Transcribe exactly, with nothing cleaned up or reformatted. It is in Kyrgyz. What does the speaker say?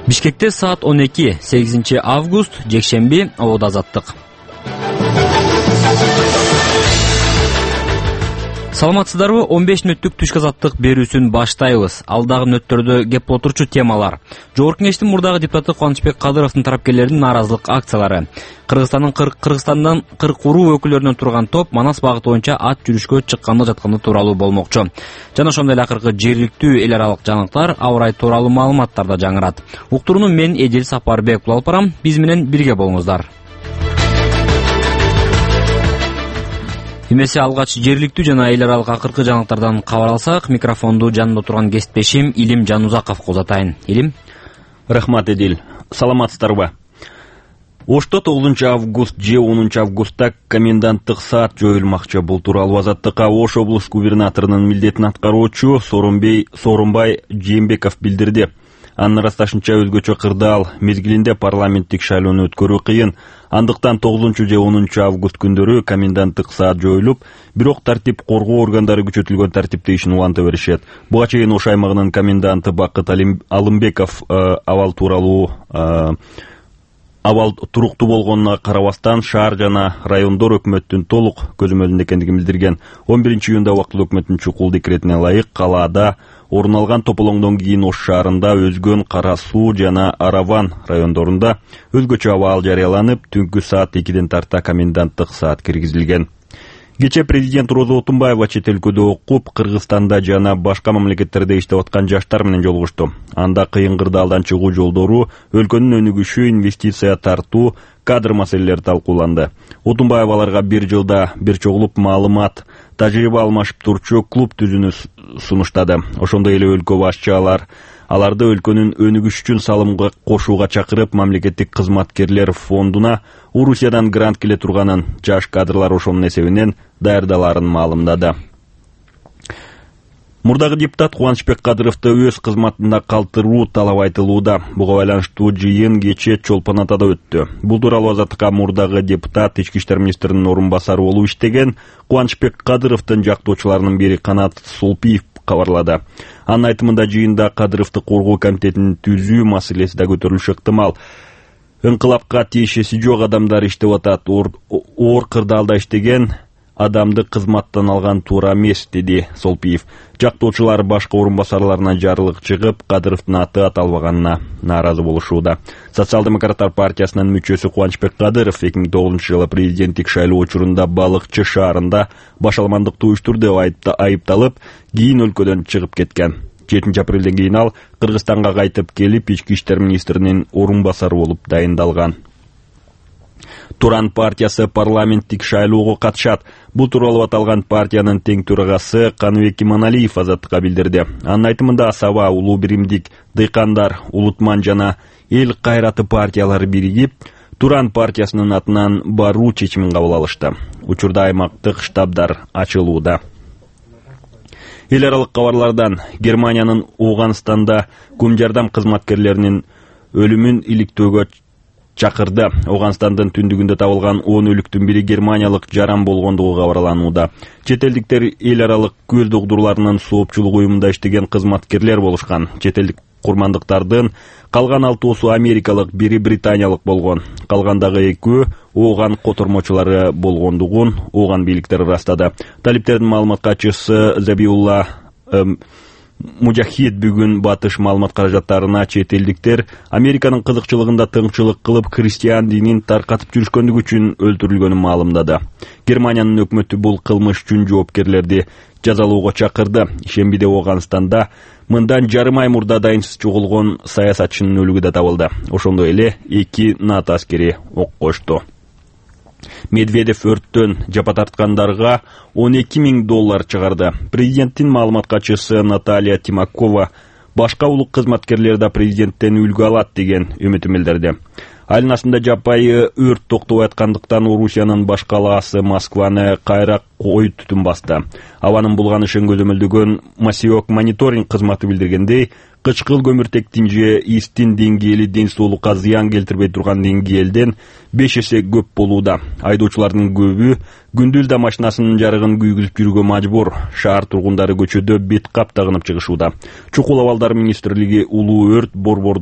Бишкекте саат он эки, сегизинчи август, жекшемби, абода азаттык. Саламатсыздарбы? он беш мүнөттүк түшкү азаттык берүүсүн баштайбыз. Алдагы мүнөттөрдө кеп отурчу темалар. Жогорку кеңештин мурдагы депутаты Кубанычбек Кадыровдун тарапкерлеринин нааразылык акциялары. Кыргызстандын Кыргызстандан кырк уруу өкүлдөрүнөн турган топ Манас багыты боюнча ат жүрүшкө чыкканы жатканы тууралуу болмокчу. Жана ошондой эле акыркы жергиликтүү эл аралык жаңылыктар, аба ырайы тууралуу маалыматтар да жаңырат. Уктурууну мен Эдил Сапарбек алып барам. Биз менен бирге болуңуздар. Эмесе алгач жергиликтүү жана эл аралык акыркы жаңылыктардан кабар алсак, микрофонду жанында турган кесиптешим Илим Жанузаковго узатайын. Илим. Рахмат, Эдил. Саламатсыздарбы? Ошто тогузунчу август же онунчу августта коменданттык саат жоюлмакчы. Бул тууралуу Азаттыкка Ош облус губернаторунун милдетин аткаруучу Сооронбай Сооронбай Жээнбеков билдирди. Анын ырасташынча өзгөчө кырдаал мезгилинде парламенттик шайлоону өткөрүү кыйын. Андыктан тогузунчу же онунчу август күндөрү коменданттык саат жоюлуп, бирок тартип коргоо органдары күчөтүлгөн тартипте ишин уланта беришет. Буга чейин Ош аймагынын коменданты Бакыт Алымбеков абал тууралуу абал туруктуу болгонуна карабастан шаар жана райондор өкмөттүн толук көзөмөлүндө экендигин билдирген. он биринчи июнда убактылуу өкмөттүн чукул декретине ылайык калаада орун алган тополоңдон кийин Ош шаарында Өзгөн, Кара Суу жана Араван райондорунда өзгөчө абал жарыяланып, түнкү саат экиден тарта коменданттык саат киргизилген. Кечээ президент Роза Отунбаева чет өлкөдө окуп, Кыргызстанда жана башка мамлекеттерде иштеп аткан жаштар менен жолугушту. Анда кыйын кырдаалдан чыгуу жолдору, өлкөнүн өнүгүшү, инвестиция тартуу, кадр маселелери талкууланды. Отунбаева аларга бир жылда бир чогулуп маалымат, тажрыйба алмашып турчу клуб түзүүнү сунуштады. Ошондой эле өлкө башчылар аларды өлкөнүн өнүгүшү үчүн салымга кошууга чакырып, мамлекеттик кызматкерлер фондуна Орусиядан грант келе турганын, жаш кадрлар ошонун эсебинен даярдаларын маалымдады. Мурдагы депутат Кубанычбек Кадыровду өз кызматында калтыруу талап айтылууда. Буга байланыштуу жыйын кечээ Чолпон Атада өттү. Бул тууралуу Азаттыкка мурдагы депутат ички иштер министринин орун басары болуп иштеген Кубанычбек Кадыровдун жактоочуларынын бири Канат Солпиев кабарлады. Анын айтымында жыйында Кадыровду коргоо комитетин түзүү маселеси да көтөрүлүшү ыктымал. Инкылапка тиешеси жок адамдар иштеп атат. Оор кырдаалда иштеген адамды кызматтан алган туура эмес, деди Солпиев. Жактоочулар башка орун басарларына жарылык чыгып, Кадыровдун аты аталбаганына нааразы болушууда. Социал-демократтар партиясынын мүчөсү Кубанычбек Кадыров эки миң тогузунчу жылы президенттик шайлоо учурунда Балыкчы шаарында башаламандыкты уюштурду деп айыпталып, кийин өлкөдөн чыгып кеткен. жетинчи апрелден кийин ал Кыргызстанга кайтып келип, ички иштер министринин орун басары болуп дайындалган. Туран партиясы парламенттик шайлоого катышат. Бул тууралуу аталган партиянын тең төрагасы Каныбек Иманалиев Азаттыкка билдирди. Анын айтымында Асаба, Улуу Биримдик, Дыйкандар, Улутман жана Эл кайраты партиялары биригип, Туран партиясынын атынан баруу чечимин кабыл алышты. Учурда аймактык штабдар ачылууда. Эл аралык кабарлардан Германиянын Ооганстанда көм жардам кызматкерлеринин өлүмүн иликтөөгө чакырды. Ооганстандын түндүгүндө табылган он өлүктүн бири германиялык жаран болгондугу кабарланууда. Чет элдиктер эл аралык көз догдурларынын соопчулук уюмунда иштеген кызматкерлер болушкан. Чет элдик курмандыктардын калган алтоосу америкалык, бири британиялык болгон. Калгандагы экөө Ооган котормочулары болгондугун Ооган бийликтери ырастады. Талиптердин маалымат катчысы Забиулла Мужахид бүгүн батыш маалымат каражаттарына чет элдиктер Американын кызыкчылыгында тыңчылык кылып, христиан динин таркатып жүрүшкөндүгү үчүн өлтүрүлгөнүн маалымдады. Германиянын өкмөтү бул кылмыш үчүн жоопкерлерди жазалоого чакырды. Ишембиде Ооганстанда мындан жарым ай мурда дайынсыз чогулгон саясатчынын өлүгү да табылды. Ошондой эле эки НАТО аскери ок кошту. Медведев өрттөн жапа тарткандарга он эки миң доллар чыгарды. Президенттин маалымат катчысы Наталья Тимакова башка улук кызматкерлер да президенттен үлгү алат деген үмүтүн билдирди. Айнасында жапайы өрт токтобой аткандыктан Орусиянын баш калаасы Москваны кайра кой түтүн басты. Абанын булганышын көзөмөлдөгөн Масиок мониторинг кызматы билдиргендей, кычкыл көмүртектин же истин деңгээли ден соолукка зыян келтирбей турган деңгээлден беш эсе көп болууда. Айдоочулардын көбү күндүз да машинасынын жарыгын күйгүзүп жүрүүгө мажбур. Шаар тургундары көчөдө бет кап тагынып чыгышууда. Чукул абалдар министрлиги улуу өрт борборду